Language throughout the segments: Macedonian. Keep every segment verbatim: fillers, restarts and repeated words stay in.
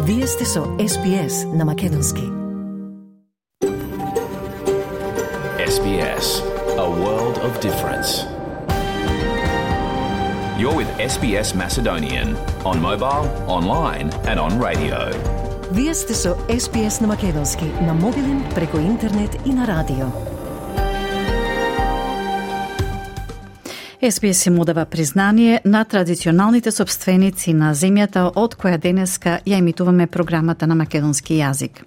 Вие сте со Ес Би Ес на Македонски. Ес Би Ес, a world of difference. You're with Ес Би Ес Macedonian on mobile, online and on radio. Вие сте со Ес Би Ес на Македонски, на мобилен, преку интернет и на радио. Ес Би Ес им одава признание на традиционалните собственици на земјата од која денеска ја емитуваме програмата на македонски јазик.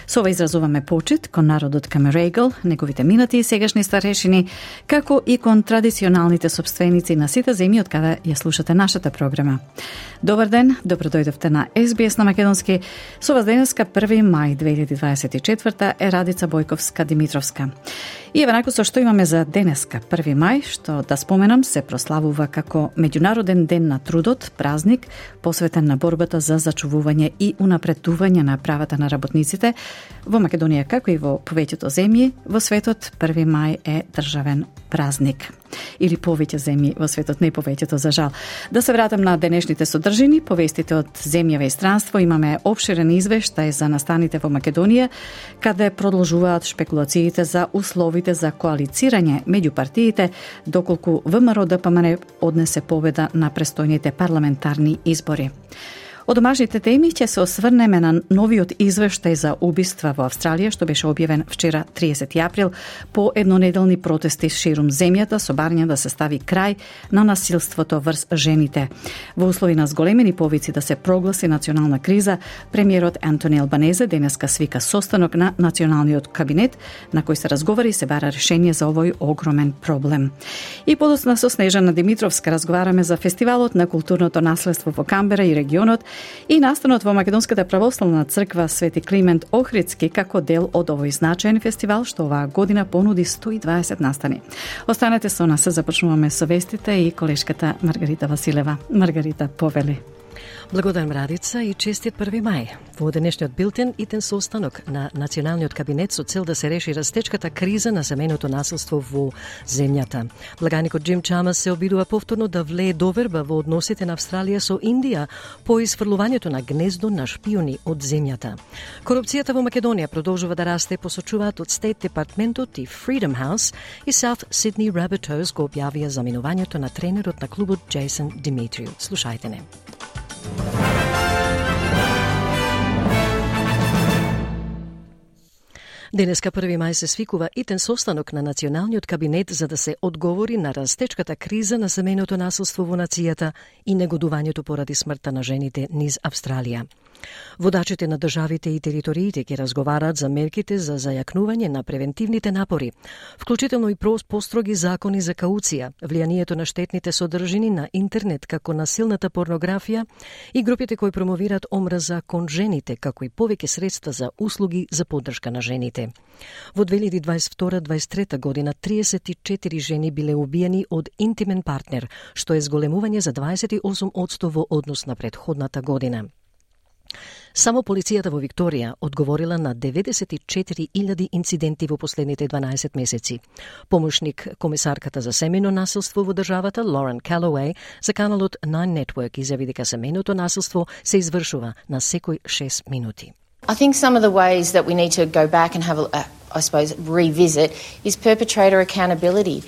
Со ова изразуваме почит кон народот Камерегл, неговите минати и сегашни старешини, како и кон традиционалните собственици на сите земји од каде ја слушате нашата програма. Добар ден, добро дојдовте на Ес Би Ес на Македонски. Со вас денеска први мај две илјади дваесет и четврта е Радица Бојковска Димитровска. И еве најко со што имаме за денеска, први мај, што да споменам се прославува како Меѓународен ден на трудот, празник посветен на борбата за зачувување и унапредување на правата на работниците. Во Македонија, како и во повеќето земји во светот, први мај е државен празник. Или повеќе земји во светот, не повеќето за жал. Да се вратам на денешните содржини, повестите од земјава и странство, имаме опширен извештај за настаните во Македонија, каде продолжуваат шпекулациите за условите за коалицирање меѓу партиите, доколку Вэ Ем Ар О Д П М Н однесе победа на престојните парламентарни избори. Од домашните теми ќе се осврнеме на новиот извештај за убиства во Австралија, што беше објавен вчера триесети април по еднонеделни протести ширум земјата со барање да се стави крај на насилството врз жените. Во услови на зголемени повици да се прогласи национална криза, премиерот Антони Албанезе денеска свика состанок на националниот кабинет на кој се разговара и се бара решение за овој огромен проблем. И подоцна со Снежана Димитровска разговараме за фестивалот на културното наследство во Камбера и регионот и настанот во Македонската православна црква Свети Климент Охридски како дел од овој значаен фестивал што оваа година понуди сто и дваесет настани. Останете со нас, започнуваме со вестите и колешката Маргарита Василева. Маргарита, повели. Благодарам, Радица, и честит први мај. Во денешниот билтен итен состанок на Националниот кабинет со цел да се реши растечката криза на семејното насилство во земјата. Благаникот Џим Чамас се обидува повторно да влее доверба во односите на Австралија со Индија по изфрлувањето на гнездо на шпиони од земјата. Корупцијата во Македонија продолжува да расте, посочуваат од Стейт Департментот и Freedom House, и South Sydney Rabbitohs го објавија заминувањето на тренерот на клубот Джейсон Димитриу. Слушајте не. Денеска први мај се свикува итен состанок на Националниот кабинет за да се одговори на растечката криза на семејното насилство во нацијата и негодувањето поради смртта на жените низ Австралија. Водачите на државите и териториите ќе разговараат за мерките за зајакнување на превентивните напори, вклучително и построги закони за кауција, влијанието на штетните содржини на интернет како насилната порнографија и групите кои промовираат омраза кон жените, како и повеќе средства за услуги за поддршка на жените. Во две илјади дваесет и втора дваесет и трета година триесет и четири жени биле убиени од интимен партнер, што е зголемување за дваесет и осум одсто во однос на претходната година. Само полицијата во Викторија одговорила на деветдесет и четири илјади инциденти во последните дванаесет месеци. Помошник комесарката за семејно насилство во државата, Лорен Калоуеј, за каналот Nine Network изјави дека семејното насилство се извршува на секој шест минути. I think some of the ways that we need to go back and have a, uh, I suppose, revisit is perpetrator accountability.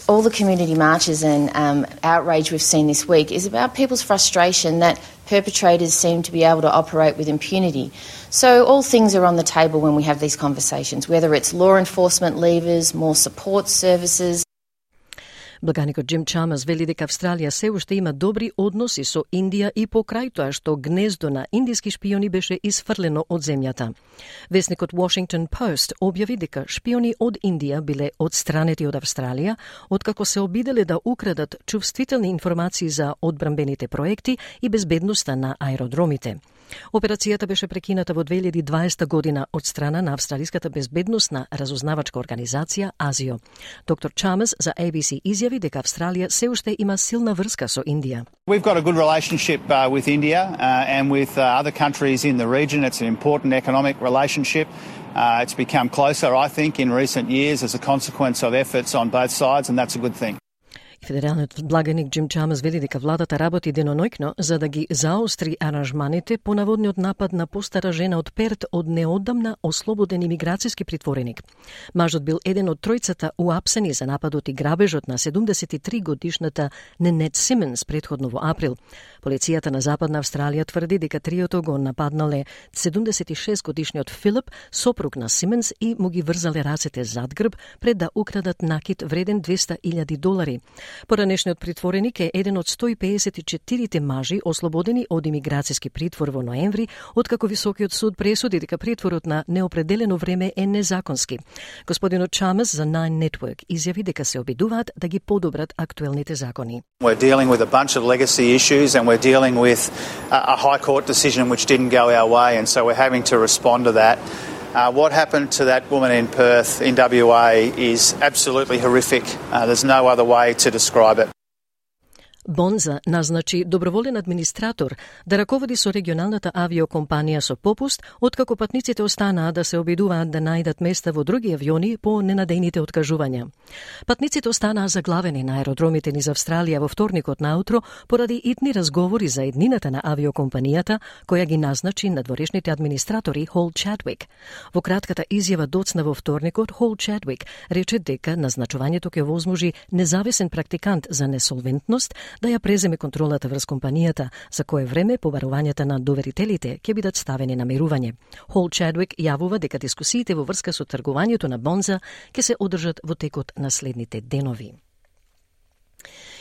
All the community marches and um, outrage we've seen this week is about people's frustration that perpetrators seem to be able to operate with impunity. So all things are on the table when we have these conversations, whether it's law enforcement levers, more support services. Благаникот Џим Чамас вели дека Австралија се уште има добри односи со Индија и покрај тоа што гнездо на индиски шпиони беше изфрлено од земјата. Весникот Washington Post објави дека шпиони од Индија биле одстранети од Австралија, откако се обиделе да украдат чувствителни информации за одбранбените проекти и безбедноста на аеродромите. Операцијата беше прекината во две илјади и дваесета година од страна на Австралиската безбедносна разузнавачка организација АЗИО. Доктор Чамас за A B C изјави дека Австралија се уште има силна врска со Индија. We've got a good relationship uh, with India uh, and with uh, other countries in the region. It's an important economic relationship. Uh, it's become closer, I think, in recent years as a consequence of efforts on both sides, and that's a good thing. Федералниот благаник Джим Чамс вели дека владата работи деноноќно за да ги заостри аранжманите по наводниот напад на постара жена од Перт од неодамна ослободен имиграцијски притвореник. Мажот бил еден од тројцата уапсени за нападот и грабежот на седумдесет и три годишната Ненет Симонс претходно во април. Полицијата на Западна Австралија тврди дека триото го нападнале седумдесет и шест годишниот Филип, сопруг на Симонс, и му ги врзале рацете зад грб пред да украдат накит вреден двесте илјади долари. Поранешниот притвореник е еден од сто и педесет и четири мажи ослободени од имиграцијски притвор во ноември, откако Високиот суд пресуди дека притворот на неопределено време е незаконски. Господинот Чамс за Nine Network изјави дека се обидуваат да ги подобрат актуелните закони. We're dealing with a bunch of legacy issues and we're dealing with a high court decision which didn't go our way, and so we're having to respond to that. Uh, what happened to that woman in Perth in W A is absolutely horrific. Uh, there's no other way to describe it. Бонза назначи доброволен администратор да раководи со регионалната авиокомпанија со попуст, откако патниците останаа да се обидуваат да најдат места во други авиони по ненадејните откажувања. Патниците останаа заглавени на аеродромите низ Австралија во вторникот наутро поради итни разговори за еднината на авиокомпанијата која ги назначи надворешните администратори Хол Чадвик. Во кратката изјава доцна во вторникот, Хол Чадвик рече дека назначувањето ќе возможи независен практикант за несолвентност да ја преземе контролата врз компанијата, за кое време побарувањата на доверителите ќе бидат ставени на мирување. Хол Чадвик јавува дека дискусиите во врска со тргувањето на Бонза ќе се одржат во текот на следните денови.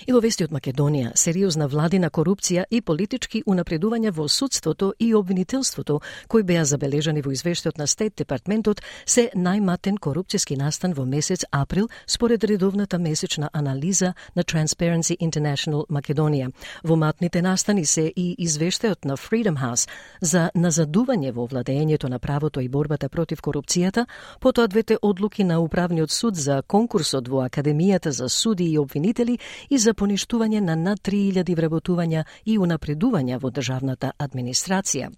И во вести од Македонија, сериозна владина корупција и политички унапредувања во судството и обвинителството, кои беа забележани во извештајот на Стейт Департментот, се најматен корупцијски настан во месец април, според редовната месечна анализа на Transparency International Македонија. Во матните настани се и извештајот на Freedom House за назадување во владењето на правото и борбата против корупцијата, потоа двете одлуки на Управниот суд за конкурсот во Академијата за суди и обвинители и за поништување на над три илјади вработувања и унапредувања во државната администрација.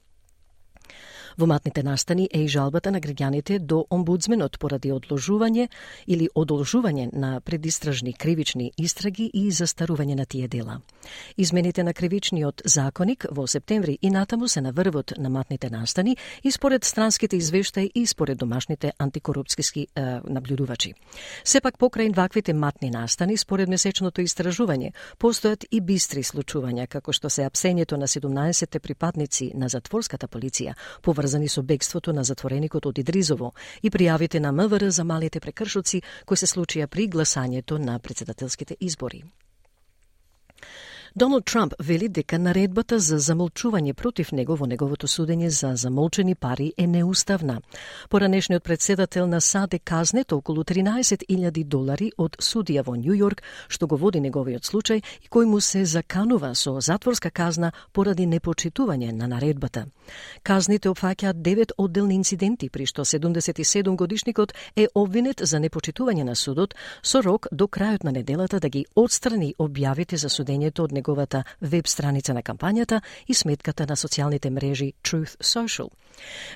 Во матните настани е и жалбата на граѓаните до омбудсменот поради одложување или одолжување на предистражни кривични истраги и застарување на тие дела. Измените на кривичниот законник во септември и натаму се на врвот на матните настани и според странските извештаи и според домашните антикорупцијски е, наблюдувачи. Сепак покрај ваквите матни настани, според месечното истражување, постојат и бистри случувања, како што се апсењето на седумнаесет припадници на затворската полиција, поврзани со бегството на затвореникот од Идризово и пријавите на МВР за малите прекршоци кои се случија при гласањето на претседателските избори. Доналд Трамп вели дека наредбата за замолчување против него во неговото судење за замолчени пари е неуставна. Поранешниот председател на САД е казнет околу тринаесет илјади долари од судија во Њу Јорк, што го води неговиот случај и кој му се заканува со затворска казна поради непочитување на наредбата. Казните опфаќаат девет одделни инциденти, при што седумдесет и седум годишникот е обвинет за непочитување на судот, со рок до крајот на неделата да ги отстрани објавите за судењето од неговата веб страница на кампањата и сметката на социјалните мрежи Truth Social.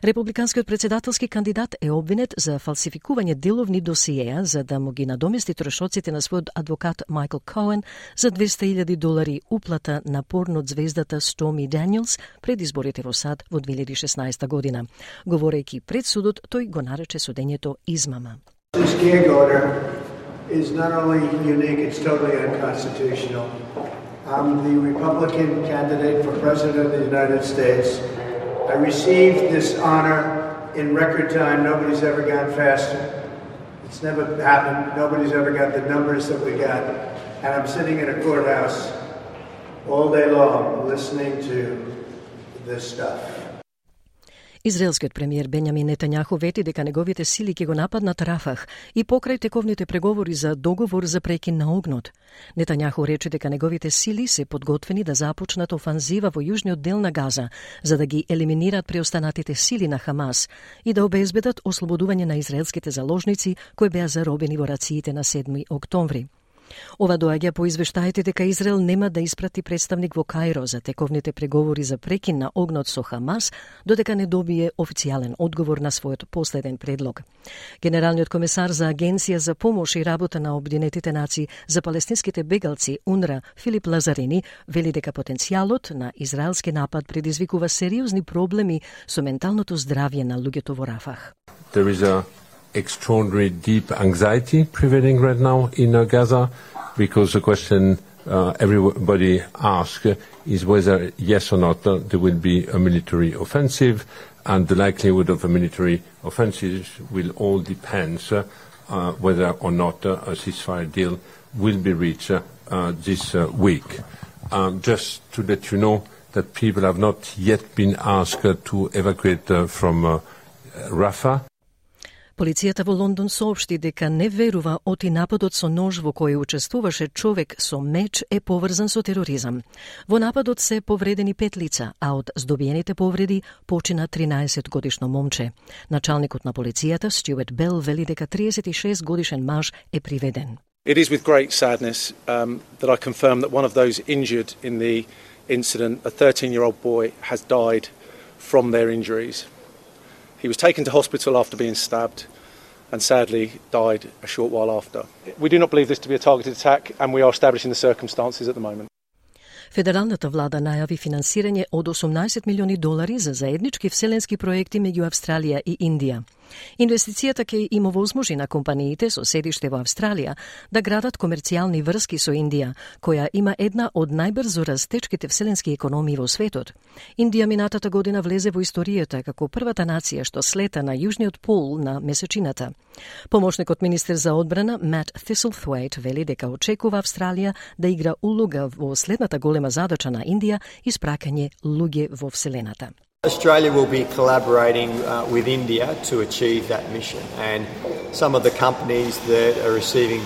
Републиканскиот председателски кандидат е обвинет за фалсификување деловни досиеа за да му ги надомести трошоците на својот адвокат Майкл Коен за двесте илјади долари уплата на порно звездата Стоми Даниелс пред изборите во САД во две илјади и шеснаесета година. Говорејќи пред судот, тој го нарече судењето измама. This gag order is not only unique, it's totally unconstitutional. I'm the Republican candidate for President of the United States. I received this honor in record time. Nobody's ever gone faster. It's never happened. Nobody's ever got the numbers that we got. And I'm sitting in a courthouse all day long listening to this stuff. Израелскиот премиер Бенјамин Нетањаху вети дека неговите сили ќе го нападнат Рафах и покрај тековните преговори за договор за прекин на огнот. Нетањаху рече дека неговите сили се подготвени да започнат офанзива во јужниот дел на Газа, за да ги елиминират преостанатите сили на Хамас и да обезбедат ослободување на израелските заложници кои беа заробени во рациите на седми октомври. Ова доаѓа по извештаите дека Израел нема да испрати представник во Каиро за тековните преговори за прекин на огнот со Хамас, додека не добие официјален одговор на својот последен предлог. Генералниот комесар за Агенција за помош и работа на Обединетите нации за палестинските бегалци УНРА Филип Лазарини вели дека потенцијалот на израелски напад предизвикува сериозни проблеми со менталното здравје на луѓето во Рафах. There is a extraordinary deep anxiety prevailing right now in uh, Gaza, because the question uh, everybody asks is whether yes or not uh, there will be a military offensive, and the likelihood of a military offensive will all depend uh, uh, whether or not uh, a ceasefire deal will be reached uh, uh, this uh, week. Um, just to let you know that people have not yet been asked uh, to evacuate uh, from uh, Rafah. Полицијата во Лондон соопшти дека не верува оти нападот со нож во кој учествуваше човек со меч е поврзан со тероризам. Во нападот се повредени пет лица, а од здобиените повреди почина тринаесет годишно момче. Началникот на полицијата Стюарт Бел вели дека триесет и шест годишен маж е приведен. It is with great sadness um, that I confirm that one of those injured in the incident, a thirteen-year-old boy, has died from their injuries. He was taken to hospital after being stabbed and sadly died a short while after. We do not believe this to be a targeted attack, and we are establishing the circumstances at the moment. Федералната влада најави финансирање од осумнаесет милиони долари за заеднички вселенски проекти меѓу Австралија и Индија. Инвестицијата ќе им овозможи на компаниите со седиште во Австралија да градат комерцијални врски со Индија, која има една од најбрзо растечките вселенски економии во светот. Индија минатата година влезе во историјата како првата нација што слета на јужниот пол на месечината. Помошникот министер за одбрана Мат Тhistlethwaite вели дека очекува Австралија да игра улога во следната голема задача на Индија, испраќање луѓе во вселената. Australia will be collaborating uh, with India to achieve that mission, and some of the companies that are receiving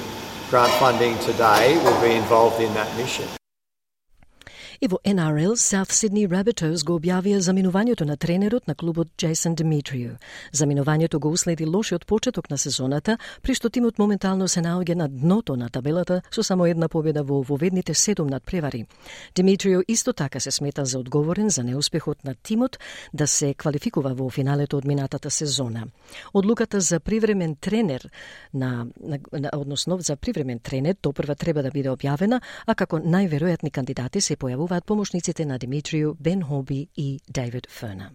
grant funding today will be involved in that mission. И во Н Р Л, South Sydney Rabbitohs го објавија заминувањето на тренерот на клубот Джейсон Димитрију. Заминувањето го уследи лошиот почеток на сезоната, при што тимот моментално се наоѓа на дното на табелата со само една победа во воведните седум надпревари. Димитрију исто така се смета за одговорен за неуспехот на тимот да се квалификува во финалето од минатата сезона. Одлуката за привремен тренер на, на, на односно за привремен тренер допрва треба да биде објавена, а како најверојатни кандидати се појавуваат помошниците на Димитрију, Бен Хоби и Дейвид Ферна.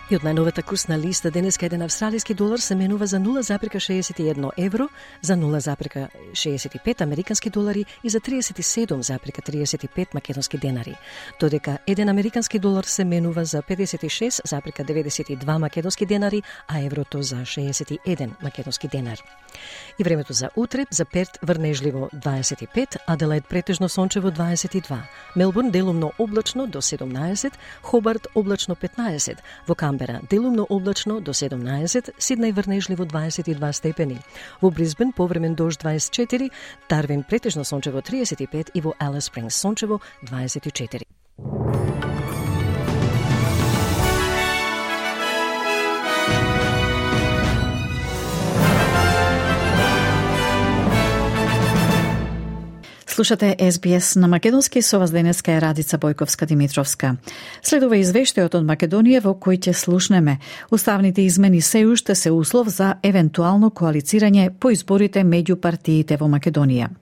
И од најновата курсна листа денеска еден австралиски долар се менува за нула запирка шеесет и едно евро, за нула запирка шеесет и пет американски долари и за триесет и седум запирка триесет и пет македонски денари. Додека еден американски долар се менува за педесет и шест запирка деветдесет и два македонски денари, а еврото за шеесет и еден македонски денар. И времето за утре, за Перт врнежливо дваесет и пет, Аделаид претежно сончево дваесет и два, Мелбурн делумно облачно до седумнаесет, Хобарт облачно петнаесет, во Камбера делумно облачно до седумнаесет, Сиднеј врнежливо дваесет и два степени, во Брисбен повремен дожд дваесет и четири, Дарвин претежно сончево триесет и пет и во Алис Спрингс сончево дваесет и четири. Слушате Ес Би Ес на македонски, со вас денеска е Радица Бојковска-Димитровска. Следува извештајот од Македонија во кој ќе слушнеме. Уставните измени се уште се услов за евентуално коалицирање по изборите меѓу партиите во Македонија.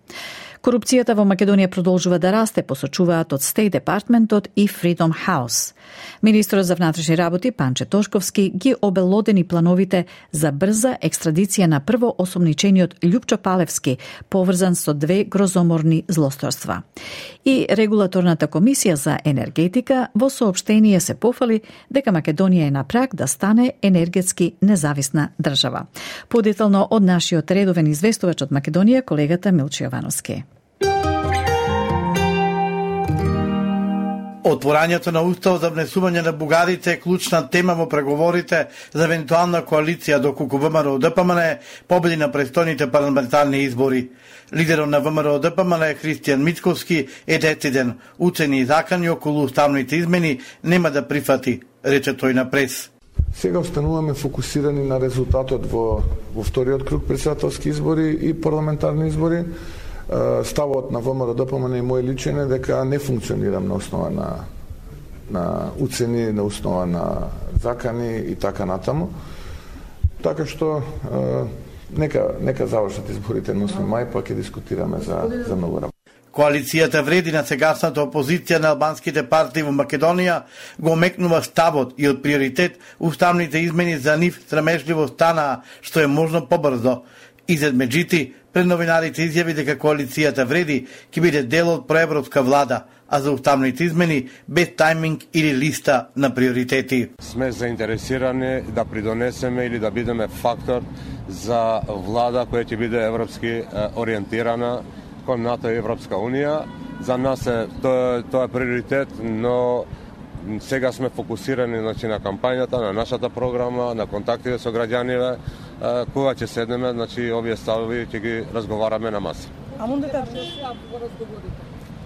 Корупцијата во Македонија продолжува да расте, посочуваат од State Departmentот и Freedom House. Министрот за внатрешни работи Панче Тошковски ги обелодени плановите за брза екстрадиција на првоосомничениот Љупчо Палевски, поврзан со две грозоморни злосторства. И Регулаторната комисија за енергетика во соопштение се пофали дека Македонија е на праг да стане енергетски независна држава. Подетално од нашиот редовен известувач од Македонија, колегата Милчо Јовановски. Отворањето на устав за внесување на бугарите е клучна тема во преговорите за евентуална коалиција доколку ВМРО Д П М Н победи на престојните парламентарни избори. Лидерот на ВМРО Д П М Н Христијан Мицковски е дециден. Уцени и закани околу уставните измени нема да прифати, рече тој на прес. Сега остануваме фокусирани на резултатот во, во вториот круг председателски избори и парламентарни избори. Ставот на ВМРО-ДПМН и мој личен е дека не функционирам на основа на, на уцени, на основа на закани и така натаму. Така што нека, нека завршат изборите на осми мај, па ќе дискутираме за, за многу работа. Коалицијата вреди на сегашната опозиција на албанските партии во Македонија го омекнува ставот и од приоритет уставните измени за нив срамежливо станаа што е можно побрзо. Изед Меджити пред новинарите изјави дека коалицијата вреди ќе биде дел од проевропска влада, а за уставните измени без тајминг или листа на приоритети. Сме заинтересирани да придонесеме или да бидеме фактор за влада која ќе биде европски ориентирана кон НАТО и Европска Унија. За нас е тоа, тоа е приоритет, но сега сме фокусирани, значи, на кампањата, на нашата програма, на контактите со граѓаните. Кога ќе седнеме, значи, овие ставови ќе ги разговараме на маса. А мунде да го разговорите?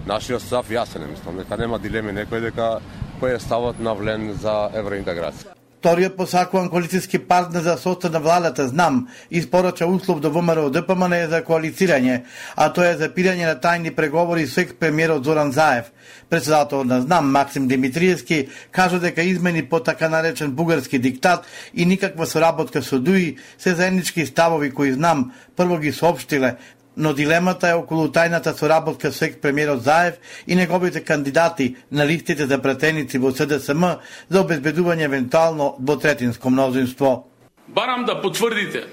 Нашиот став јасен е, мислам, дека нема дилеми некој дека кој е ставот на Влен за евроинтеграција. Вториот посакуван коалицијски партнер за состав на владата ЗНАМ испорача услов до ВМРО-ДПМН за коалицирање, а тоа е запирање на тајни преговори со екс-премиерот Зоран Заев. Председателот на ЗНАМ Максим Димитриевски кажа дека измени по така наречен бугарски диктат и никаква соработка со ДУИ се заеднички ставови кои ЗНАМ прво ги соопштиле, но дилемата е околу тајната соработка со екс-премиерот Заев и неговите кандидати на листите за пратеници во СДСМ за обезбедување евентуално двотретинско мнозинство. Барам да потврдите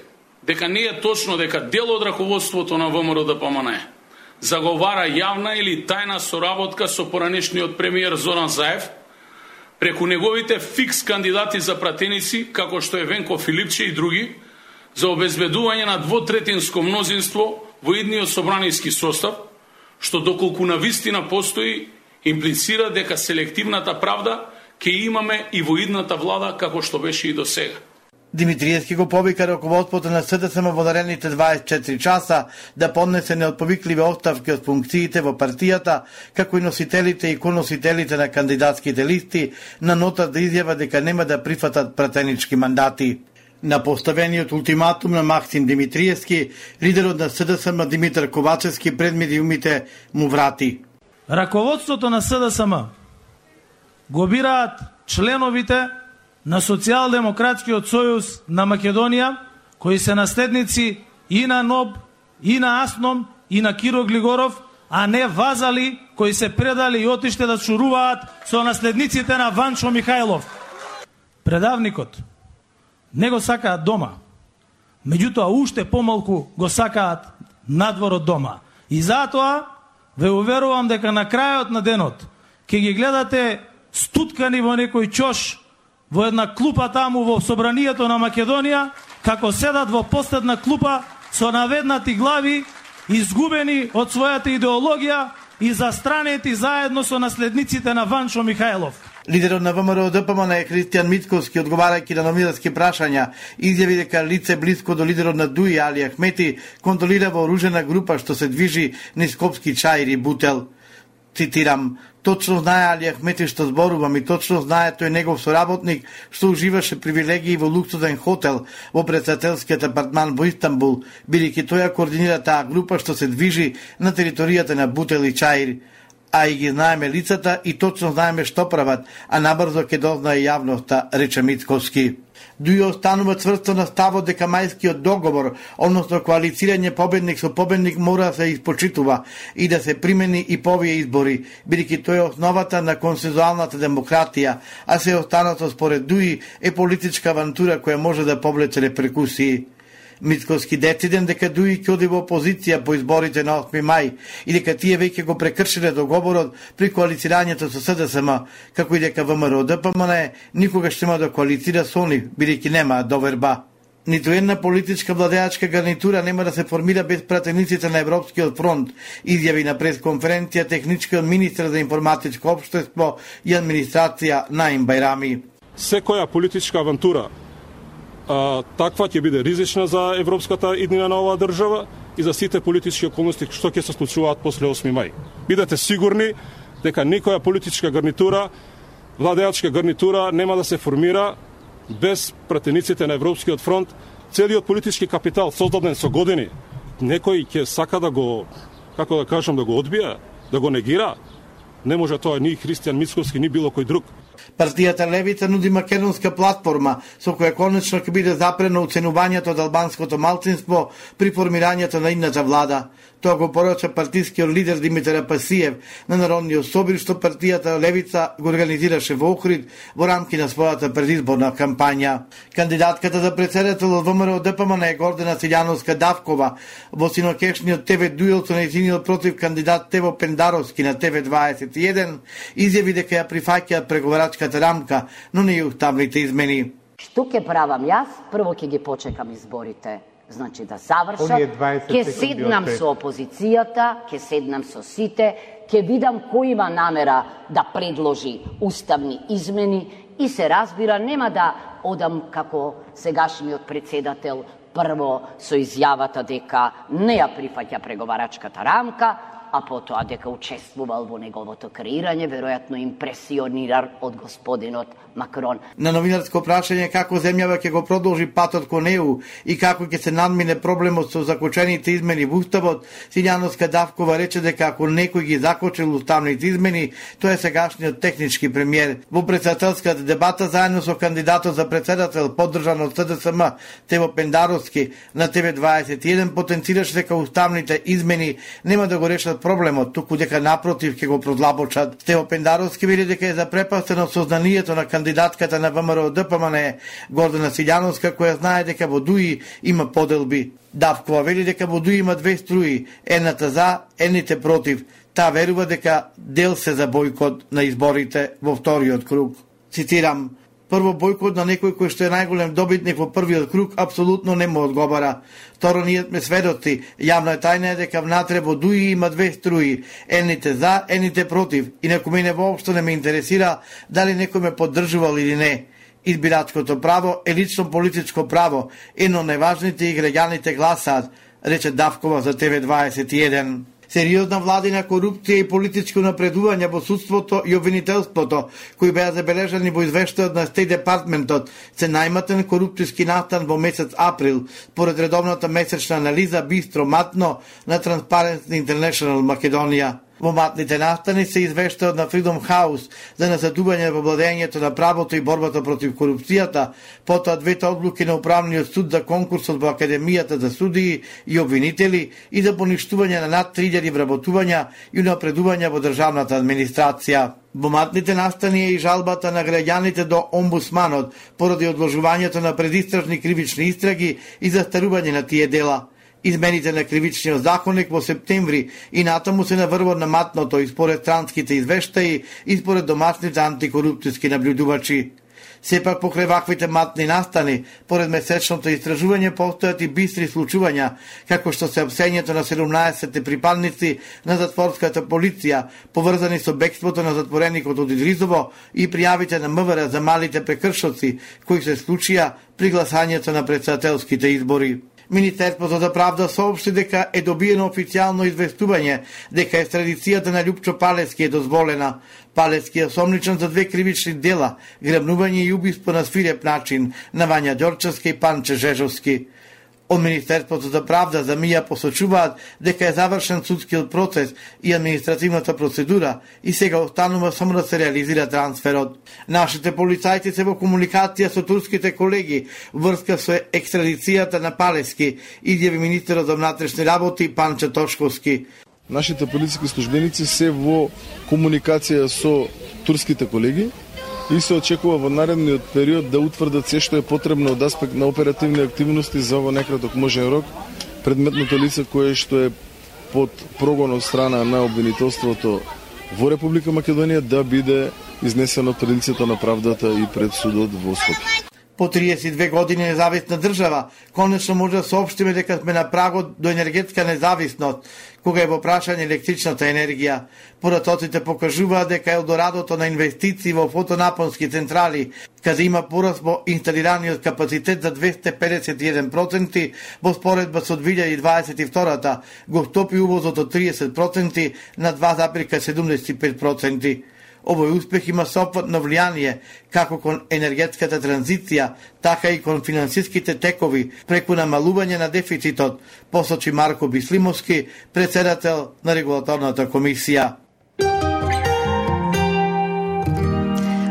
дека не е точно дека дел од раководството на ВМРО-ДПМН заговара јавна или тајна соработка со поранешниот премиер Зоран Заев преку неговите фикс кандидати за пратеници како што е Венко Филипче и други за обезбедување на двотретинско мнозинство во идниот собраниски состав, што доколку на вистина постои, имплицира дека селективната правда ќе имаме и во идната влада како што беше и до сега. Димитриевски го повика раководството на СДСМ во наредните дваесет и четири часа да поднесе неотповикливи оставки од функциите во партијата, како и носителите и коносителите на кандидатските листи, на нота да изјава дека нема да прифатат пратенички мандати. На поставениот ултиматум на Максим Димитриевски, лидерот на СДСМ Димитар Ковачевски пред медиумите му врати. Раководството на СДСМ го бираат членовите на Социјалдемократскиот сојуз на Македонија, кои се наследници и на НОБ, и на АСНОМ, и на Киро Глигоров, а не вазали кои се предали и отиште да шуруваат со наследниците на Ванчо Михајлов. Предавникот не го сакаат дома, меѓутоа уште помалку го сакаат надвор од дома. И затоа ве уверувам дека на крајот на денот ќе ги гледате стуткани во некој чош во една клупа таму во собранието на Македонија, како седат во последна клупа со наведнати глави, изгубени од својата идеологија и застранети заедно со наследниците на Ванчо Михајлов. Лидерот на ВМРО-ДПМН е Христијан Мицковски, одговарајќи на новинарски прашања, изјави дека лице блиско до лидерот на ДУИ Али Ахмети контролира вооружена група што се движи низ Скопски Чаир и Бутел. Цитирам: "Точно знае Али Ахмети што зборувам и точно знае тој негов соработник што уживаше привилегии во луксузен хотел во председателскиот апартман во Истанбул, бидејќи тој ја координира таа група што се движи на територијата на Бутел и Чаир. А и ги знаеме лицата и точно знаеме што прават, а набрзо ќе дознае јавноста", рече Мицковски. ДУИ останува цврсто на ставот дека мајскиот договор, односно коалицирање победник со победник, мора да се испочитува и да се примени и по овие избори, бидејќи тој е основата на консензуалната демократија, а се останато според ДУИ е политичка авантура која може да повлече реперкусии. Мицковски дециден дека ДУИ ќе оди во опозиција по изборите на осми мај и дека тие веќе го прекршиле договорот при коалицирањето со СДСМ, како и дека ВМРО-ДПМН никогаш нема да коалицира со нив, бидејќи нема доверба. Ниту една политичка владеачка гарнитура нема да се формира без пратениците на Европскиот фронт, изјави на пресконференција техничкиот министер за информатичко општество и администрација Наим Бајрами. Секоја политичка авантура А, таква ќе биде ризична за европската иднина на оваа држава и за сите политички околности што ќе се случуваат после осми мај. Бидете сигурни дека никоја политичка гарнитура, владеачка гарнитура нема да се формира без пратениците на Европскиот фронт, целиот политички капитал создаден со години, некој ќе сака да го, како да кажам, да го одбија, да го негира. Не може тоа ни Христијан Мицковски, ни било кој друг. Партијата Левица нуди македонска платформа со која конечно ќе биде запрено оценувањето од албанското малцинство при формирањето на идната влада. Тоа го порача партискиот лидер Димитар Апасиев на Народниот собир, што партијата Левица го организираше во Охрид во рамки на својата предизборна кампања. Кандидатката за председател од ВМРО ДПМН е Гордана Силјановска Давкова. Во синокешниот Т В дуел со нејзиниот против кандидат Тево Пендаровски на Т В дваесет и еден изјави дека ја прифаќаат преговарачката рамка, но не и уставните измени. Што ќе правам јас? Прво ќе ги почекам изборите. Значи да завршат, ќе седнам со опозицијата, ќе седнам со сите, ќе видам кој има намера да предложи уставни измени и се разбира, нема да одам како сегашниот председател прво со изјавата дека не ја прифаќа преговарачката рамка, а потоа дека учествувал во неговото креирање, веројатно импресиониран од господинот Макрон. На новинарско прашање како земјава ќе го продолжи патот кон Е У и како ќе се надмине проблемот со закочените измени во Уставот, Силјановска Давкова рече дека ако некој ги закочил уставните измени, тоа е сегашниот технички премиер. Во председателската дебата заедно со кандидатот за председател поддржан од С Д С М Тево Пендаровски на Т В дваесет и еден потенцираше дека уставните измени нема да го решат проблемот, туку дека напротив ќе го продлабочат. Тево Пендаровски вели дека е запрепастен од сознанието на кандидатката на ВМРО ДПМН Гордана Силјановска, која знае дека во Дуи има поделби. Давкова вели дека во Дуи има две струи, едната за, едните против. Таа верува дека дел се за бојкот на изборите во вториот круг. Цитирам: Прво, бојкот на некој кој што е најголем добитник во првиот круг апсолутно не му одговара. Второ, ние сме сведоци. Јавна е тајна е дека внатре во Дуи има две струи, едните за, едните против. Инаку мене воопшто не ме интересира дали некој ме поддржувал или не. Избирачкото право е лично политичко право, ено најважните и граѓаните гласаат, рече Давкова за Т В дваесет и еден. Сериозна владина корупција и политичко напредување во судството и обвинителството, кои беа забележани во извештајот на Стејт Департментот, се најматен корупцијски настан во месец април, поред редовната месечна анализа Бистро Матно на Transparency International Македонија. Во матните настани се извештајот на Freedom House за назадување во владењето на правото и борбата против корупцијата, потоа двете одлуки на Управниот суд за конкурсот во Академијата за судии и обвинители и за поништување на над три илјади вработувања и унапредувања во државната администрација. Во матните настани е и жалбата на граѓаните до омбудсманот поради одложувањето на предистражни кривични истраги и застарување на тие дела. Измените на кривичниот законник во септември и натаму се наврвот на матното и според странските извештаи и според домашните антикорупцијски наблюдувачи. Сепак покрај ваквите матни настани, поред месечното истражување постојат и бистри случувања, како што се апсењето на седумнаесет припадници на затворската полиција, поврзани со бегството на затвореникот од Идризово и пријавите на М В Р за малите прекршоци, кои се случија при гласањето на председателските избори. Министерството за правда соопшти дека е добиено официјално известување дека екстрадицијата на Љупчо Палески е дозволена. Палески е осомничен за две кривични дела, грабнување и убиство на свиреп начин на Вања Ѓорчевски и Панче Жежовски. Од Министерството за правда за МИА посочуваат дека е завршен судскиот процес и административната процедура и сега останува само да се реализира трансферот. Нашите полицајци се во комуникација со турските колеги врска со екстрадицијата на Палески, изјави министерот за внатрешни работи Панче Тошковски. Нашите полициски службеници се во комуникација со турските колеги и се очекува во наредниот период да утврдат се што е потребно од аспект на оперативни активности за во некраток можен рок предметното лице кое што е под прогон од страна на обвинителството во Република Македонија да биде изнесено пред лицето на правдата и пред судот во Скопје. По триесет и две години независна држава, конечно може да соопштиме дека сме на прагот до енергетска независност, кога е во прашање електричната енергија. Поратоците покажуваат дека елдорадото на инвестиции во фотонапонски централи, каде има пораст во инсталираниот капацитет за двесте педесет и еден проценти во споредба со две илјади дваесет и втора, го стопи увозот од триесет проценти на два зарез седумдесет и пет проценти. Овој успех има сопватно влијание како кон енергетската транзиција, така и кон финансиските текови преку намалување на дефицитот, посочи Марко Бислимовски, председател на регулаторната комисија.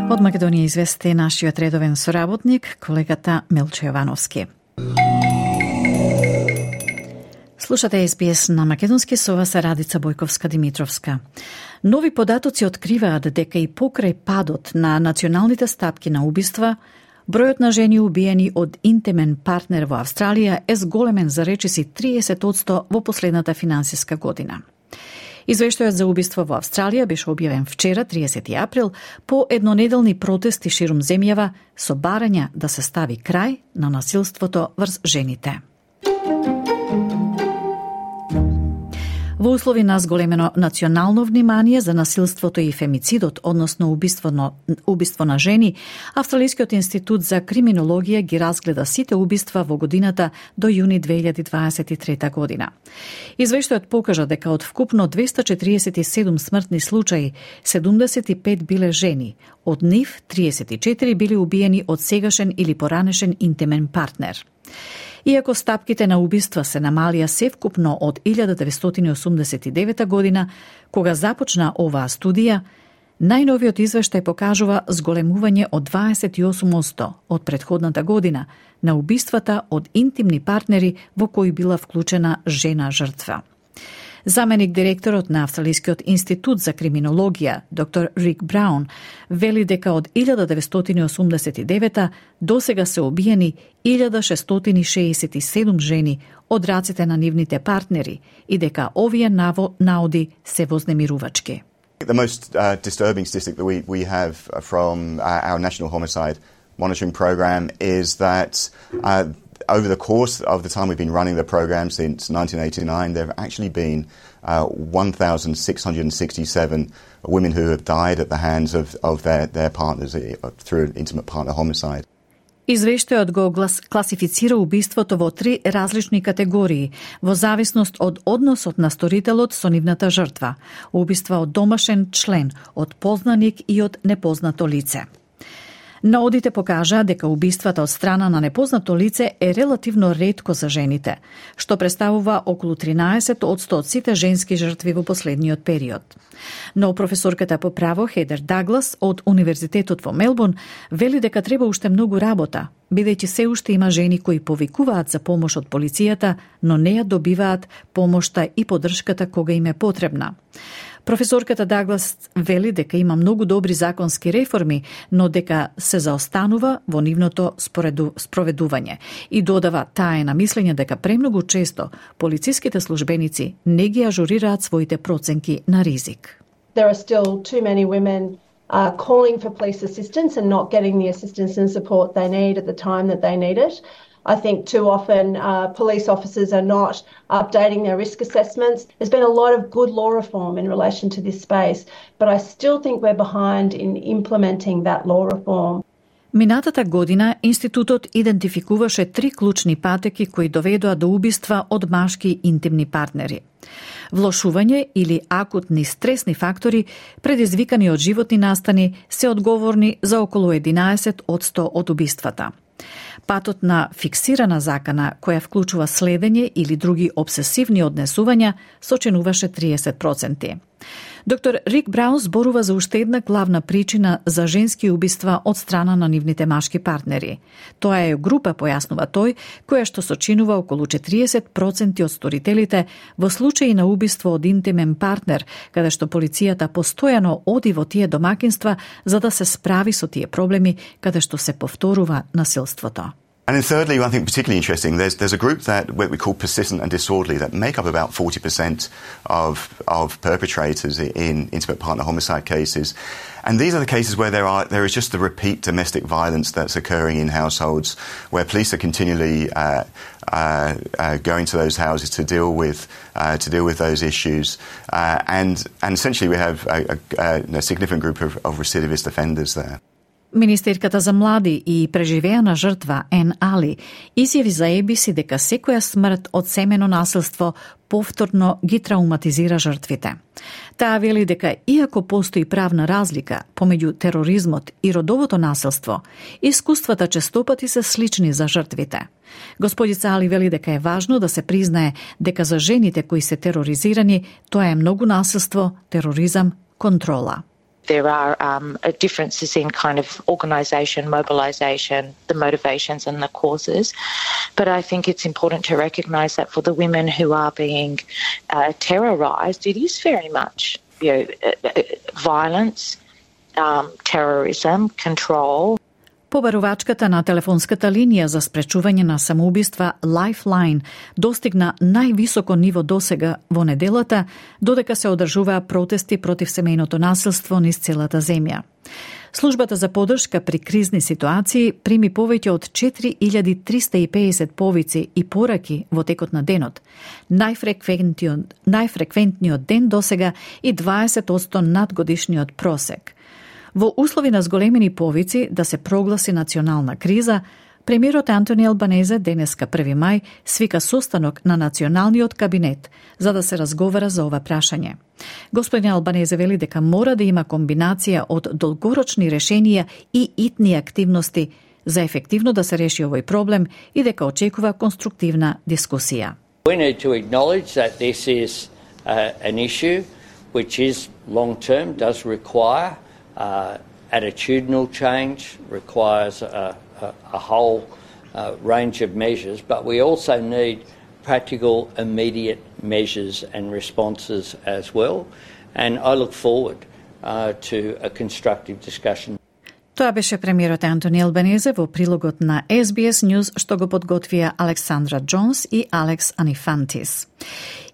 Од Македонија извести нашиот редовен соработник, колегата Милчо Јовановски. Слушате Ес Би Ес на македонски, со вас е Радица Бојковска-Димитровска. Нови податоци откриваат дека и покрај падот на националните стапки на убиства, бројот на жени убиени од интимен партнер во Австралија е зголемен за речиси триесет одсто во последната финансиска година. Извештајот за убиство во Австралија беше објавен вчера, триесети април, по еднонеделни протести ширум земјава со барања да се стави крај на насилството врз жените. Во услови на зголемено национално внимание за насилството и фемицидот, односно убиство на, убиство на жени, Австралискиот институт за криминологија ги разгледа сите убиства во годината до јуни две илјади дваесет и трета година. Извештајот покажа дека од вкупно двесте четириесет и седум смртни случаи, седумдесет и пет биле жени, од нив триесет и четири били убиени од сегашен или поранешен интимен партнер. Иако стапките на убиства се намалија севкупно од илјада деветстотини осумдесет и девета година, кога започна оваа студија, најновиот извештај покажува зголемување од дваесет и осум одсто од претходната година на убиствата од интимни партнери во кои била вклучена жена жртва. Заменик директорот на Австралискиот институт за криминологија, доктор Рик Браун, вели дека од илјада деветстотини осумдесет и девета досега се убиени илјада шестстотини шеесет и седум жени од рацете на нивните партнери и дека овие наоди се вознемирувачки. The most uh, disturbing statistic that we, we have from uh, our National Homicide Monitoring Program is that uh, over the course of the time we've been running the program since nineteen eighty-nine, there have actually been uh, one thousand six hundred sixty-seven women who have died at the hands of, of their, their partners through an intimate partner homicide. Извештајот го класифицира убиството во три различни категории, во зависност од односот на сторителот со нивната жртва, убиства од домашен член, од познаник и од непознато лице. Наодите покажа дека убиствата од страна на непознато лице е релативно ретко за жените, што представува околу тринаесет одсто од сите женски жртви во последниот период. Но професорката по право Хедер Даглас од Универзитетот во Мелбурн вели дека треба уште многу работа, бидејќи се уште има жени кои повикуваат за помош од полицијата, но не ја добиваат помошта и поддршката кога им е потребна. Професорката Даглас вели дека има многу добри законски реформи, но дека се заостанува во нивното спроведување и додава таа е на мислење дека премногу често полициските службеници не ги ажурираат своите проценки на ризик. There are still too many women uh, calling for police assistance and not getting the assistance and support they need at the time that they need it. I think too often uh, police officers are not updating their risk assessments. There's been a lot of good law reform in relation to this space, but I still think we're behind in implementing that law reform. Минатата година институтот идентификуваше три клучни патеки кои доведоа до убиства од машки интимни партнери. Влошување или акутни стресни фактори предизвикани од животни настани се одговорни за околу единаесет одсто од убиствата. Патот на фиксирана закана, која вклучува следење или други обсесивни однесувања, сочинуваше триесет проценти. Доктор Рик Браун зборува за уште една главна причина за женски убиства од страна на нивните машки партнери. Тоа е група, појаснува тој, која што сочинува околу четириесет проценти од сторителите во случаи на убиство од интимен партнер, каде што полицијата постојано оди во тие домакинства за да се справи со тие проблеми каде што се повторува насилството. And then thirdly, I think particularly interesting, there's, there's a group that what we call persistent and disorderly that make up about forty percent of, of perpetrators in intimate partner homicide cases. And these are the cases where there are there is just the repeat domestic violence that's occurring in households, where police are continually uh, uh, uh, going to those houses to deal with uh, to deal with those issues, uh, and and essentially we have a, a, a significant group of, of recidivist offenders there. Министерката за млади и преживеана жртва Ен Али изјави за Е Би Си дека секоја смрт од семено насилство повторно ги трауматизира жртвите. Таа вели дека иако постои правна разлика помеѓу тероризмот и родовото насилство, искуствата честопати се слични за жртвите. Господица Али вели дека е важно да се признае дека за жените кои се тероризирани тоа е многу насилство, тероризам, контрола. There are um, differences in kind of organisation, mobilisation, the motivations and the causes. But I think it's important to recognise that for the women who are being uh, terrorised, it is very much you know, violence, um, terrorism, control. Побарувачката на телефонската линија за спречување на самоубиства Lifeline достигна највисоко ниво досега во неделата, додека се одржуваа протести против семејното насилство низ целата земја. Службата за поддршка при кризни ситуации прими повеќе од четири илјади триста и педесет повици и пораки во текот на денот, најфреквентниот, најфреквентниот ден досега и дваесет одсто над годишниот просек. Во услови на зголемени повици да се прогласи национална криза, премиерот Антони Албанезе денеска први мај свика состанок на националниот кабинет за да се разговара за ова прашање. Господин Албанезе вели дека мора да има комбинација од долгорочни решенија и итни активности за ефективно да се реши овој проблем и дека очекува конструктивна дискусија. We need to acknowledge that this is uh, an issue which is long term, does require Uh, attitudinal change, requires a, a, a whole uh, range of measures, but we also need practical, immediate measures and responses as well. And I look forward uh, to a constructive discussion. Тоа беше премиерот Антони Албанезе во прилогот на Ес Би Ес News што го подготвија Александра Джонс и Алекс Анифантис.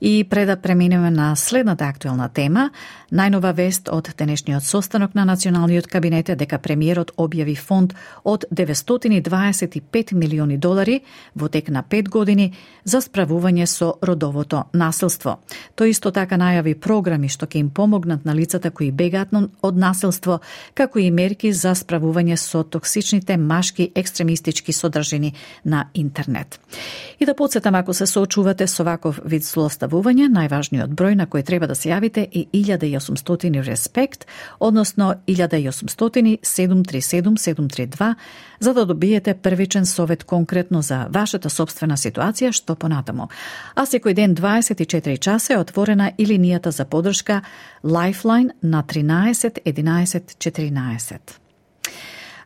И пред да преминеме на следната актуелна тема, најнова вест од денешниот состанок на Националниот кабинет е дека премиерот објави фонд од деветстотини дваесет и пет милиони долари во тек на пет години за справување со родовото насилство. Тој исто така најави програми што ќе им помогнат на лицата кои бегаат од насилство, како и мерки за справување со токсичните машки екстремистички содржини на интернет. И да подсетам, ако се соочувате со ваков вид злоставување, најважниот број на кој треба да се јавите е илјада и осумстотини респект, односно илјада и осумстотини седум три седум седум три два, за да добиете првичен совет конкретно за вашата сопствена ситуација, што понатаму. А секој ден дваесет и четири часа е отворена и линијата за поддршка Lifeline на тринаесет единаесет четиринаесет.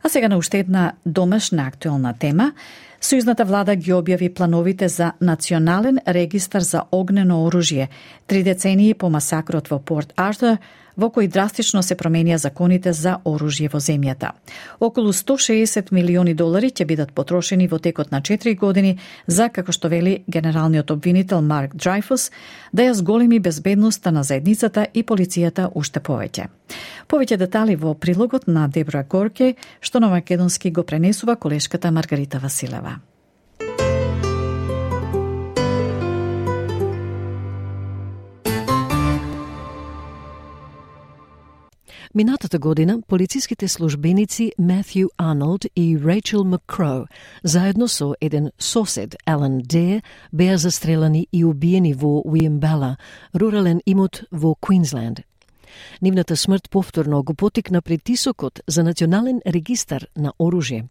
А сега на уште една домашна актуелна тема. Сојузната влада ги објави плановите за национален регистар за огнено оружје, три децении по масакрот во Порт Артур, во кој драстично се променија законите за оружје во земјата. Околу сто шеесет милиони долари ќе бидат потрошени во текот на четири години за, како што вели генералниот обвинител Марк Дрейфус, да ја зголеми безбедноста на заедницата и полицијата уште повеќе. Повеќе детали во прилогот на Дебра Горке, што на македонски го пренесува колешката Маргарита Василева. Минатата година полициските службеници Матthew Арнолд и Рейчел Маккроу заедно со еден сосед Алан Дейр беа застрелани и убиени во Уимбела, рурален имот во Квинсленд. Нивната смрт повторно го потикна притисокот за национален регистар на оружје.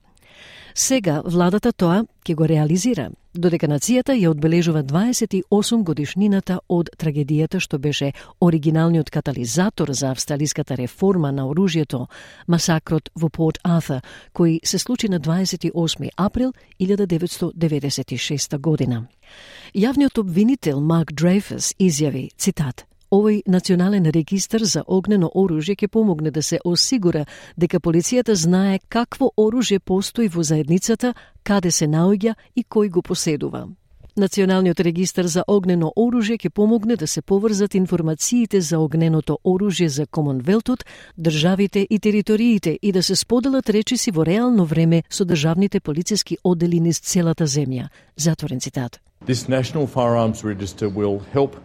Сега владата тоа ќе го реализира, додека нацијата ја одбележува дваесет и осум годишнината од трагедијата што беше оригиналниот катализатор за австралиската реформа на оружјето, масакрот во Порт Артур, кој се случи на дваесет и осми април илјада деветстотини деветдесет и шеста година. Јавниот обвинител Марк Дрейфус изјави, цитат, овој национален регистар за огнено оружје ќе помогне да се осигура дека полицијата знае какво оружје постои во заедницата, каде се наоѓа и кој го поседува. Националниот регистар за огнено оружје ќе помогне да се поврзат информациите за огненото оружје за Комонвелтот, државите и териториите и да се споделат речиси во реално време со државните полициски оддели низ целата земја. Затворен цитат. This National Firearms Register will help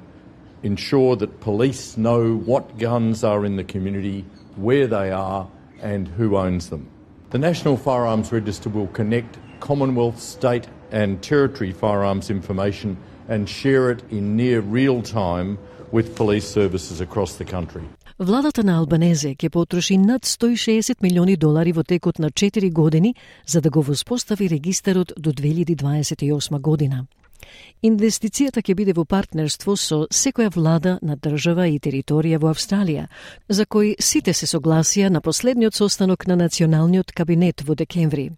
ensure that police know what guns are in the community, where they are, and who owns them. The National Firearms Register will connect Commonwealth, state and territory firearms information and share it in near real time with police services across the country. Владата на Албанезе ќе потроши над сто и шеесет милиони долари во текот на четири години за да го воспостави регистарот до две илјади дваесет и осма година. Инвестицијата ќе биде во партнерство со секоја влада на држава и територија во Австралија, за кој сите се согласија на последниот состанок на Националниот кабинет во декември.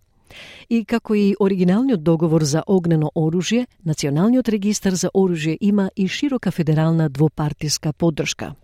И како и оригиналниот договор за огнено оружје, Националниот регистар за оружје има и широка федерална двопартиска поддршка.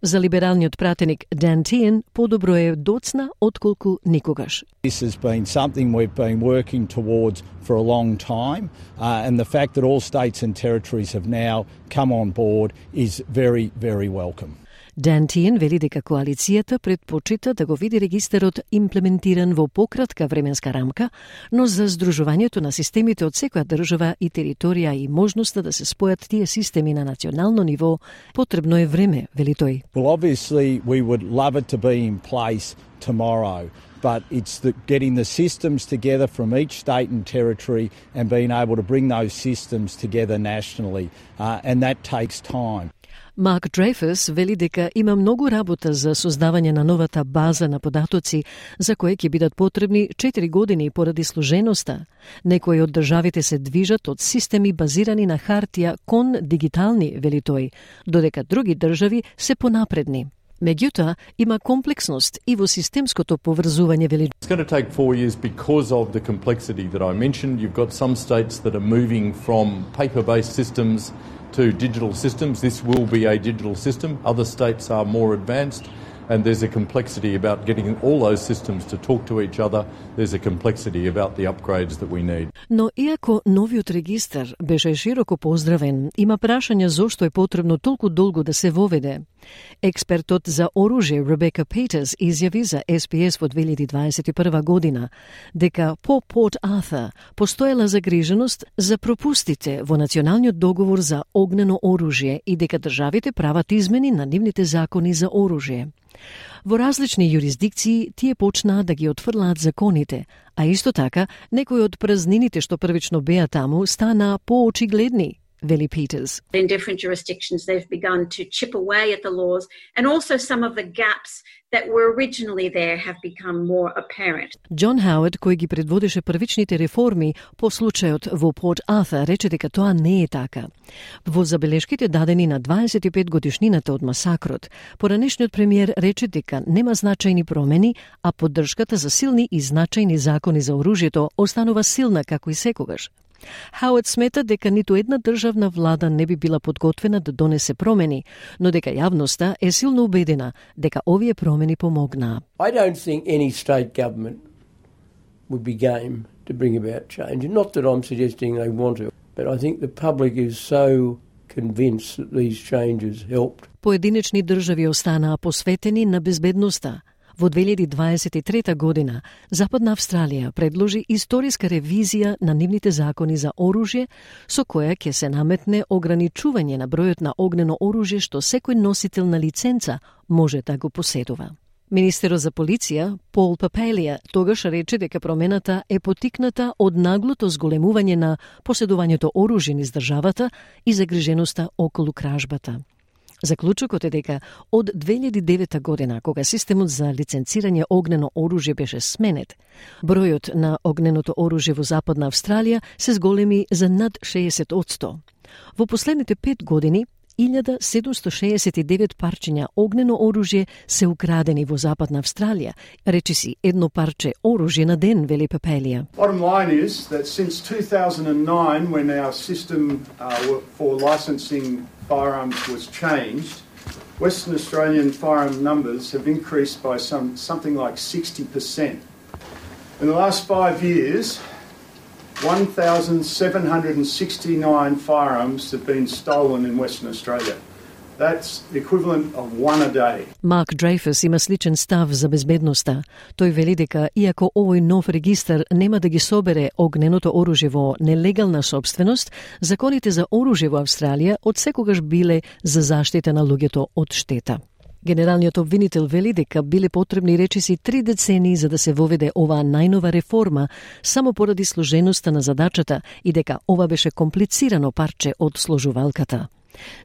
За либералниот пратеник Дан Тиен подобро е доцна отколку никогаш. This has been something we've been working towards for a long time, uh, and the fact that all states and territories have now come on board is very, very welcome. Дан Тиен вели дека коалицијата предпочита да го види регистарот имплементиран во пократка временска рамка, но за здружувањето на системите од секоја држава и територија и можноста да се спојат тие системи на национално ниво, потребно е време, вели тој. Well, obviously we would love it to be in place tomorrow, but it's the, getting the systems together from each state and territory and being able to bring those systems together nationally, uh, and that takes time. Марк Дрейфус вели дека има многу работа за создавање на новата база на податоци, за кои ќе бидат потребни четири години поради сложеноста. Некои од државите се движат од системи базирани на хартија кон дигитални, вели тој, додека други држави се понапредни. Меѓутоа, има комплексност и во системското поврзување, вели. It's going to take four years because of the complexity that I mentioned. You've got some states that are moving from paper-based systems to digital systems. This will be a digital system. Other states are more advanced, and there's a complexity about getting all those systems to talk to each other. There's a complexity about the upgrades that we need. Но иако новиот регистар беше широко поздравен, има прашања зошто е потребно толку долго да се воведе. Експертот за оружје Ребека Петерс изјави за Ес Би Ес во две илјади дваесет и прва година дека по Порт Артур постоела загриженост за пропустите во националниот договор за огнено оружје и дека државите прават измени на нивните закони за оружје. Во различни юрисдикции тие почнаа да ги отфрлаат законите, а исто така некои од празнините што првично беа таму станаа поочигледни, вели Петерс. In different jurisdictions they've begun to chip away at the laws, and also some of the gaps that were originally there have become more apparent. Џон Хауард, кој ги предводеше првичните реформи по случајот во Порт Артур, рече дека тоа не е така. Во забелешките дадени на дваесет и пет годишнината од масакрот, поранешниот премиер рече дека нема значајни промени, а поддршката за силни и значајни закони за оружјето останува силна како и секогаш. Хауард смета дека ниту една државна влада не би била подготвена да донесе промени, но дека јавноста е силно убедена дека овие промени помогнаа. I don't think any state government would be game to bring about change. Not that I'm suggesting they want to, but I think the public is so convinced that these changes helped. Поединечни држави останаа посветени на безбедноста. Во две илјади дваесет и трета година, Западна Австралија предложи историска ревизија на нивните закони за оружје, со која ќе се наметне ограничување на бројот на огнено оружје што секој носител на лиценца може да го поседува. Министерот за полиција, Пол Папелија, тогаш рече дека промената е потикната од наглото зголемување на поседувањето оружје низ државата и загриженоста околу кражбата. Заклучокот е дека од две илјади и девета година, кога системот за лиценцирање огнено оружје беше сменет, бројот на огненото оружје во Западна Австралија се зголеми за над шеесет одсто. Во последните пет години, илјада седумсто шеесет и девет парчиња огнено оружје се украдени во Западна Австралија, речиси едно парче оружје на ден, вели Папелија. Bottom line is that since two thousand nine, when our system uh, for licensing firearms was changed, Western Australian firearm numbers have increased by some something like sixty percent. In the last five years, one thousand seven hundred sixty-nine firearms have been stolen in Western Australia. That's the equivalent of one a day. Марк Дрейфус има сличен став за безбедноста. Тој вели дека, иако овој нов регистар нема да ги собере огненото оружје во нелегална собственост, законите за оружје во Австралија од секогаш биле за заштита на луѓето од штета. Генералниот обвинител вели дека биле потребни речиси три децении за да се воведе оваа најнова реформа, само поради сложеноста на задачата и дека ова беше комплицирано парче од сложувалката.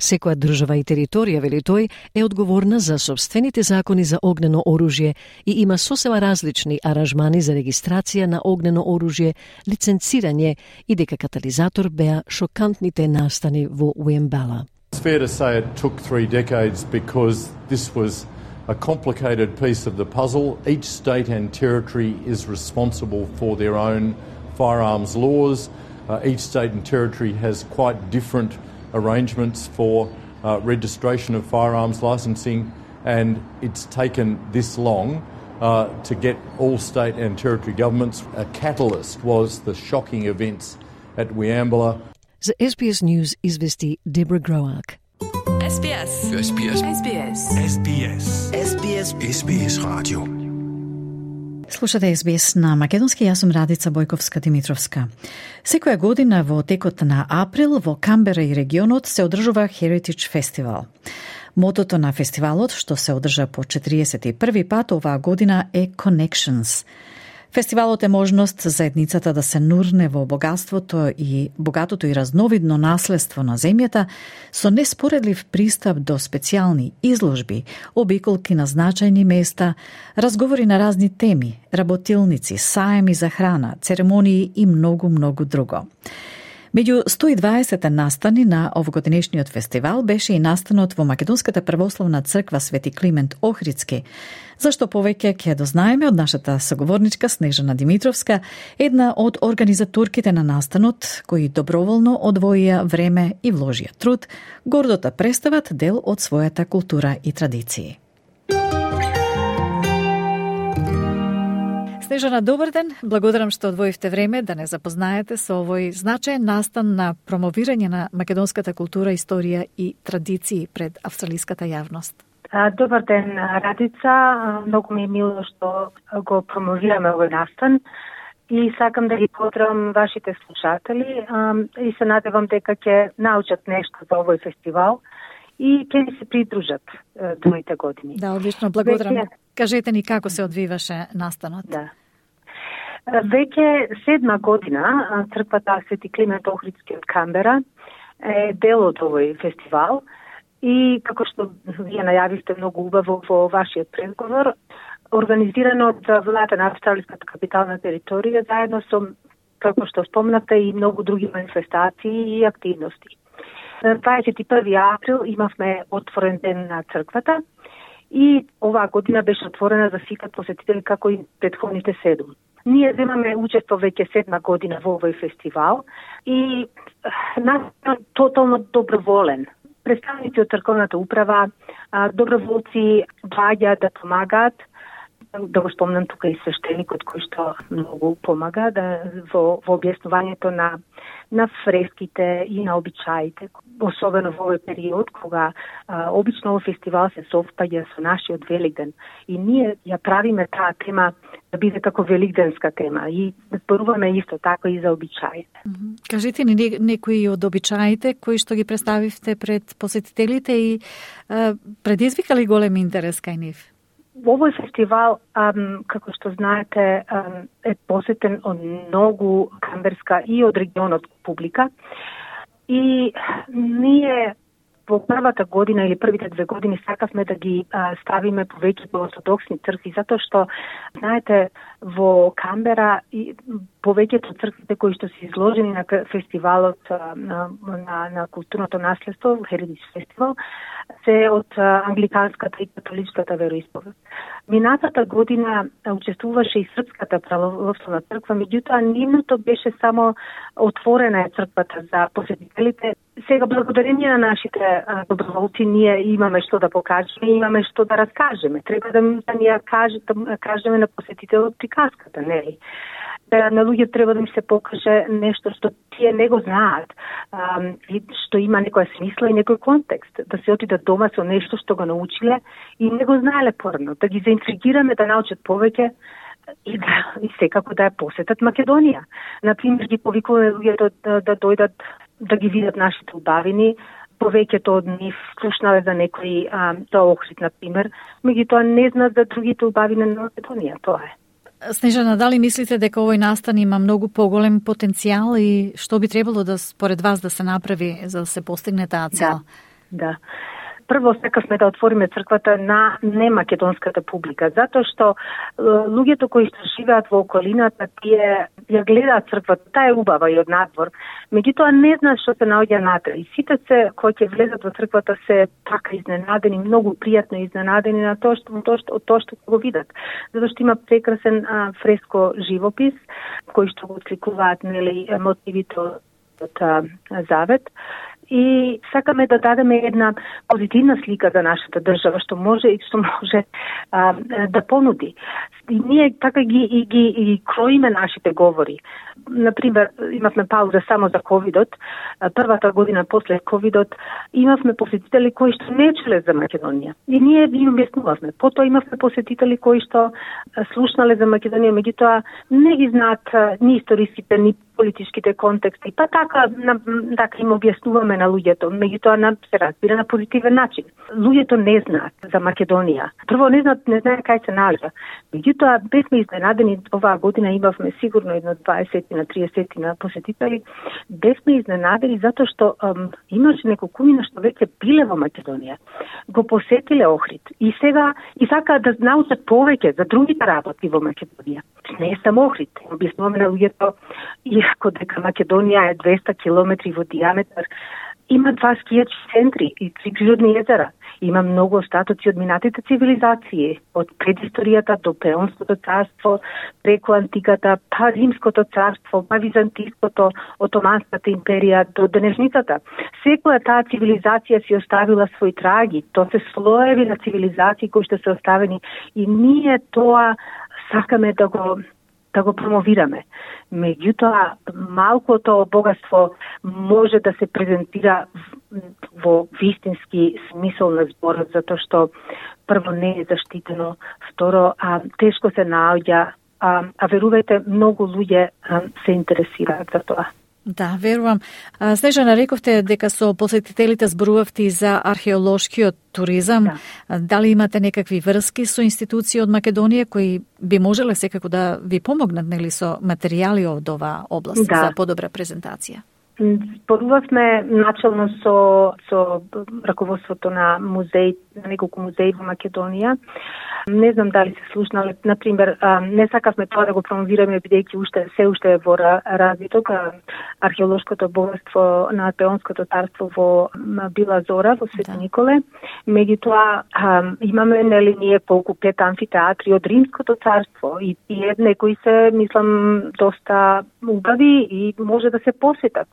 Секоја држава и територија, вели тој, е одговорна за сопствените закони за огнено оружје и има сосема различни аранжмани за регистрација на огнено оружје, лиценцирање и дека катализатор беа шокантните настани во Уембала. It's fair to say it took three decades because this was a complicated piece of the puzzle. Each state and territory is responsible for their own firearms laws. Uh, each state and territory has quite different arrangements for uh, registration of firearms licensing, and it's taken this long uh, to get all state and territory governments. A catalyst was the shocking events at Weambala. За Ес Би Ес News извести Дебра Гроак. Ес Би Ес. Ес Би Ес. Ес Би Ес. Ес Би Ес. Ес Би Ес. Ес Би Ес радио. Слушате Ес Би Ес на македонски, јас сум Радица Бојковска-Димитровска. Секоја година во текот на април во Камбера и регионот се одржува Heritage Festival. Мотото на фестивалот, што се одржа по четириесет и први пат оваа година, е Connections. Фестивалот е можност за едницата да се нурне во богатството и богатото и разновидно наследство на земјата со неспоредлив пристап до специјални изложби, обиколки на значајни места, разговори на разни теми, работилници, саеми за храна, церемонии и многу, многу друго. Меѓу сто и дваесет настани на овогодинешниот фестивал беше и настанот во Македонската православна црква Свети Климент Охридски, зашто повеќе ќе дознаеме од нашата соговорничка Снежана Димитровска, една од организаторките на настанот, кои доброволно одвоија време и вложија труд, гордо да представат дел од својата култура и традиции. Снежана, добар ден. Благодарам што одвоивте време да не запознаете со овој значаен настан на промовирање на македонската култура, историја и традиции пред австралиската јавност. Добар ден, Радица. Многу ми е мило што го промовираме овој настан и сакам да ги поздравам вашите слушатели и се надевам дека ќе научат нешто за овој фестивал и ќе ни се придружат другите години. Да, одлично, благодарам. Веќе... Кажете ни како се одвиваше настанот. Да. Веќе седма година црквата Свети Климент Охридски од Камбера е дел од овој фестивал и како што вие најавивте многу убаво во вашиот предговор, организирано од владата на австралиската капитална територија заедно со, како што спомнавте, и многу други манифестации и активности. На дваесет и први април имавме отворен ден на црквата и оваа година беше отворена за сите посетители како и претходните седум. Ние земаме учество веќе седма година во овој фестивал и нас е тотално доброволен. Представници од црковната управа, доброволци доаѓаат да помагаат. Да го спомнам тука и свештеникот кој што многу помага да, во, во објаснувањето на, на фреските и на обичаите, особено во овој период кога а, обично овој фестивал се совпаѓа со нашиот Великден и ние ја правиме таа тема да биде како великденска тема и зборуваме исто така и за обичаите. Mm-hmm. Кажете ни некои од обичаите кои што ги представивте пред посетителите и а, предизвикали голем интерес кај нив? Овој фестивал, ам, како што знаете, ам, е посетен од многу камберска и од регионот публика. И ние во првата година или првите две години сакавме да ги а, ставиме повеќе по ортодоксни цркви, затоа што, знаете, во Камбера и повеќето црквите кои што се изложени на фестивалот а, на, на, на културното наследство, Heritage Festival, се од а, англиканската и католичката вероисповед. Минатата година учествуваше и Српската православна црква, меѓутоа нивното беше само отворена е црквата за посетителите. Сега, благодарение на нашите а, доброволци, ние имаме што да покажеме, имаме што да раскажеме. Треба да, да ни ја каже, да кажеме на посетителот приказката, нели? Да, на луѓе треба да им се покаже нешто што тие не го знаат, а, и што има некоја смисла и некој контекст. Да се отидат дома со нешто што го научиле и не го знаеле порано. Да ги заинтригираме да научат повеќе и да и секако да ја посетат Македонија. Например, ги повикуваме луѓето да, да дојдат да ги видат нашите убавини, повеќето од нив слушнале за некои а, тоа Охрид, на пример, меѓутоа не знаат за другите убавини на Македонија, тоа е. Снежана, дали мислите дека овој настан има многу поголем потенцијал и што би требало да според вас да се направи за да се постигне таа цел? Да, да. Прво сакавме да отвориме црквата на немакедонската публика, затоа што луѓето кои што живеат во околината, тие ја гледаат црквата, таа е убава и од надвор, меѓутоа не знаат што се наоѓа натре. И сите се кои ќе влезат во црквата се така изненадени, многу пријатно изненадени на тоа што тоа што тоа што го видат. Затоа што има прекрасен а, фреско живопис кои што го отсликуваат, нели, мотивите од а, Завет. И сакаме да дадеме една позитивна слика за нашата држава, што може и што може а, да понуди. И ние така ги и ги и кроиме нашите говори. Например, имавме пауза само за ковидот. Првата година после ковидот имавме посетители кои што не чуле за Македонија. И ние ги објаснувавме. Потоа имавме посетители кои што слушнале за Македонија, меѓутоа не ги знаат ни историските, ни политичките контексти. Па така, на, така им објаснуваме на луѓето, меѓутоа на се разбира на позитивен начин. Луѓето не знаат за Македонија. Прво не знаат, не знаат кај се наоѓа. Меѓутоа бевме изненадени, оваа година имавме сигурно едно дваесет на триесет на посетители. Бевме изненадени затоа што ам, имаше неколкумина што веќе биле во Македонија. Го посетиле Охрид и сега и сакаат да научат повеќе за другите работи во Македонија. Не е само Охрид. Објаснуваме на луѓето иако дека Македонија е двеста километри во диаметар, има два скијачки центри и три природни езера. Има многу остатоци од минатите цивилизации, од предисторијата до Пеонското царство, преку антиката, па Римското царство, па Византиското, Отоманската империја до денешницата. Секоја таа цивилизација си оставила своји траги, тоа се слоеви на цивилизации кои што се оставени и ние тоа сакаме да го да го промовираме. Меѓутоа, малкото богатство може да се презентира во вистински смисол на зборот, затоа што прво не е заштитено, второ, а, тешко се наоѓа, а, а верувајте, многу луѓе а, се интересираат за тоа. Да, верувам. Снежана, рековте дека со посетителите зборувавте и за археолошкиот туризам. Да. Дали имате некакви врски со институции од Македонија кои би можеле секако да ви помогнат, нели, со материјали од оваа област, да, за подобра презентација? Зборувавме начално со со раководството на музеи, на неколку музеи во Македонија. Не знам дали се слушнале, например, не сакавме тоа да го промовираме бидејќи уште се уште е во развиток археолошкото богатство на Пеонското царство во Била Зора во Свети, да, Николе. Меѓутоа имаме, нели, ние колку пет амфитеатри од Римското царство и тие некои се, мислам, доста убави и може да се посетат.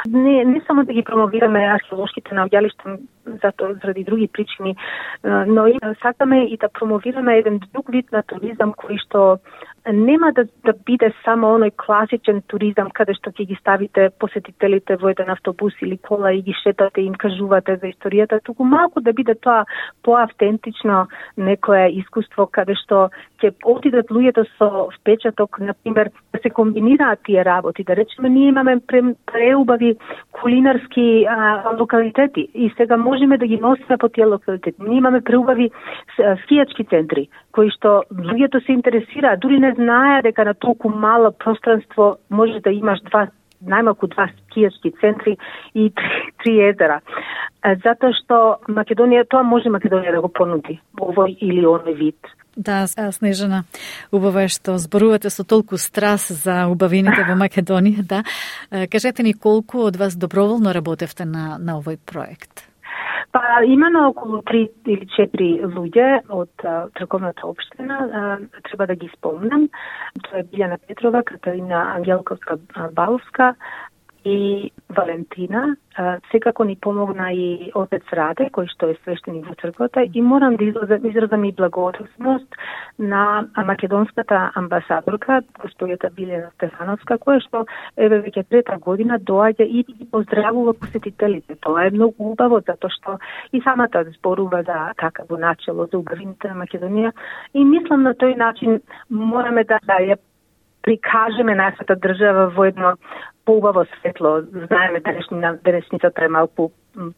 Не, не само да ги промовираме археолошките наоѓалишта затоа заради други причини, но и сакаме и да промовираме еден друг вид на туризам кој што нема да, да биде само оној класичен туризам каде што ќе ги ставите посетителите во еден автобус или кола и ги шетате и им кажувате за историјата, туку малку да биде тоа поавтентично некое искуство каде што ќе отидат луѓето со впечаток, например, да се комбинираат тие работи, да речеме ние имаме преубави кулинарски а, локалитети и сега можеме да ги носиме по тие локалитети. Ние имаме преубави скијачки центри кои што луѓето се интересираат, дури не знае дека на толку мало пространство може да имаш два, најмалку два скијачки центри и три, три езера. Затоа што Македонија, тоа може Македонија да го понуди, овој или оној вид. Да, Снежана, убаво е што зборувате со толку страст за убавините во Македонија, да. Кажете ни колку од вас доброволно работевте на, на овој проект? Па има на околу три или четири луѓе од црковната општина, а, треба да ги спомнам. Тоа е Билјана Петрова, Катарина Ангелковска Баловска и Валентина. А, секако ни помогна и отец Раде, кој што е свештеник во црквата, и морам да изразам, изразам и благодарност на македонската амбасадорка, господјата Билјана Стефановска, која што еве веќе трета година доаѓа и ги поздравува посетителите. Тоа е многу убаво, затоа што и самата зборува за така во начело за убавините на Македонија и мислам на тој начин мораме да ја прикажеме нашата држава во едно поубаво светло. Знаеме денешна денешницата е малку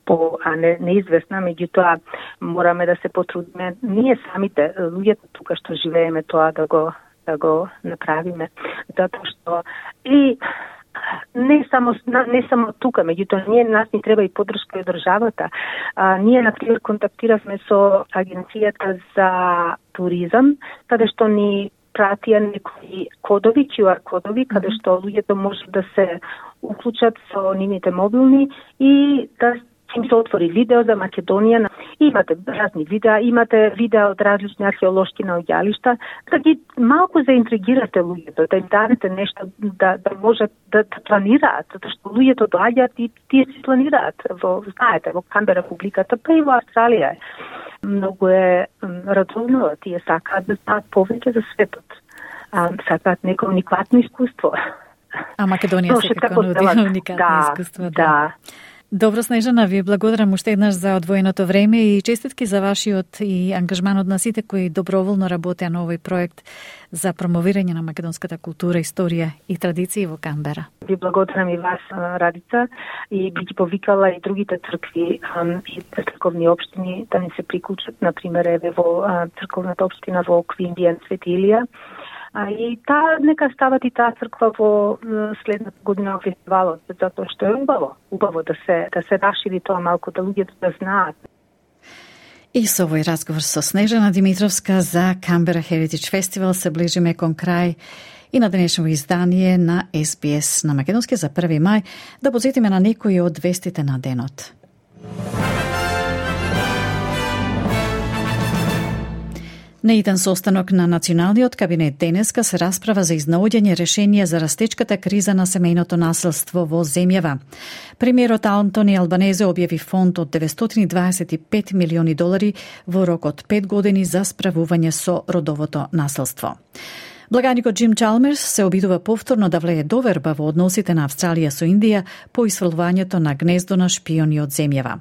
по не, неизвестна, меѓутоа мораме да се потрудиме ние самите, луѓето тука што живееме, тоа да го да го направиме, затоа што и не само не само тука, меѓутоа ние нас ни треба и поддршка од државата. А, ние на пример контактиравме со агенцијата за туризам, каде што ни пратија некои кодови, ку ар кодови, каде што луѓето може да се уклучат со нивните мобилни и да им се отвори видео за Македонија. Имате разни видеа, имате видеа од различни археолошки наоѓалишта, да ги малку заинтригирате луѓето, да им дадете нешто да, да можат да, да планираат, затоа што луѓето доаѓаат и тие си планираат. Во, знаете, во Камбера публиката, па и во Австралија е. Многу е радовно, тие сакаат да знаат повеќе за светот. А, сакаат неко уникатно искуство. А Македонија се како нуди уникатно да, искуство. Да. да. Добро, Снежана, ви благодарам уште еднаш за одвоеното време и честитки за вашиот и ангажманот на сите кои доброволно работеа на овој проект за промовирање на македонската култура, историја и традиции во Камбера. Ви благодарам и вас, Радица, и би ги повикала и другите цркви и црковни општини да ни се приклучат, например, еве во црковната општина во Квинбиен, Свети Илија. А и таа нека стават и таа црква во следната година во фестивалот, затоа што е убаво, убаво да се да се расшири тоа малку, да луѓето да знаат. И со овој разговор со Снежана Димитровска за Canberra Heritage Festival се ближиме кон крај и на денешно издание на Ес Би Ес на македонски за први мај, да подсетиме на некои од вестите на денот. На еден состанок на Националниот кабинет денеска се расправа за изнаоѓање решение за растечката криза на семејното насилство во земјава. Премиерот Антони Албанезе објави фонд од деветстотини дваесет и пет милиони долари во рок од пет години за справување со родовото насилство. Благаникот Джим Чалмерс се обидува повторно да влее доверба во односите на Австралија со Индија по исфрлувањето на гнездо на шпиони од земјава.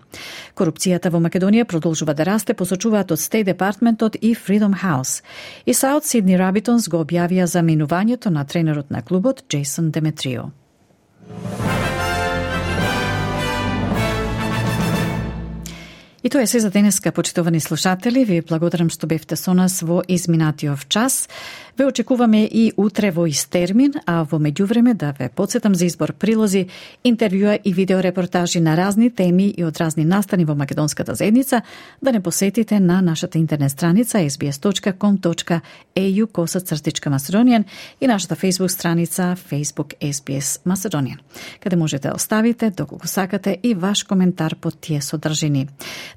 Корупцијата во Македонија продолжува да расте, посочуваат од Стейт Департментот и Freedom House. И Саут Сидни Рабитонс го објавија за минувањето на тренерот на клубот Джейсон Деметрио. И тоа е се за денеска, почитувани слушатели. Ви благодарам што бевте со нас во изминатиот час. Ве очекуваме и утре во ист термин, а во меѓувреме да ве потсетам за избор прилози, интервјуа и видеорепортажи на разни теми и од разни настани во македонската заедница, да не посетите на нашата интернет страница ес би ес точка ком точка ей ю косацртичка Macedonian и нашата Facebook страница Facebook Ес Би Ес Macedonian, каде можете да оставите, доколку сакате, и ваш коментар под тие содржини.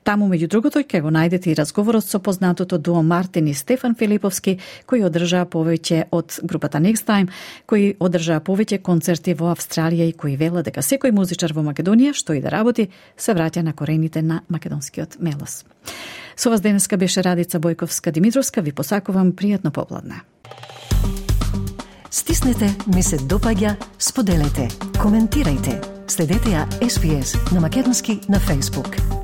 Таму, меѓу другото, ќе го најдете и разговорот со познатото дуо Мартин и Стефан Филиповски, кои одржаа повеќе од групата Next Time, кои одржаа повеќе концерти во Австралија и кои велат дека секој музичар во Македонија, што и да работи, се враќа на корените на македонскиот мелос. Со вас денеска беше Радица Бојковска Димитровска. Ви посакувам пријатно попладне. Стиснете, ми се допаѓа, споделете, коментирајте. Следете ја Ес Би Ес на македонски на Facebook.